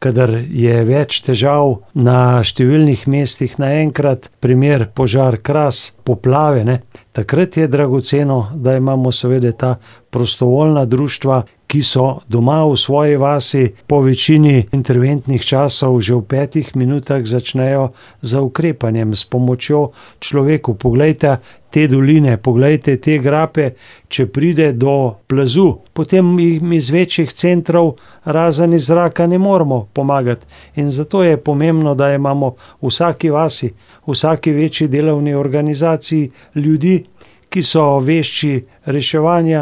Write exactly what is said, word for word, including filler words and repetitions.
kadar je več težav na številnih mestih naenkrat, primer požar Kras, poplave, ne, takrat je dragoceno, da imamo seveda ta prostovoljna društva, ki so doma v svoji vasi, po večini interventnih časov že v petih minutah začnejo z ukrepanjem, s pomočjo človeku. Poglejte te doline, poglejte te grape, če pride do plazu, potem jim iz večjih centrov razen iz zraka ne moremo pomagati. In zato je pomembno, da imamo v vsaki vasi, v vsaki večji delovni organizaciji ljudi, ki so vešči reševanja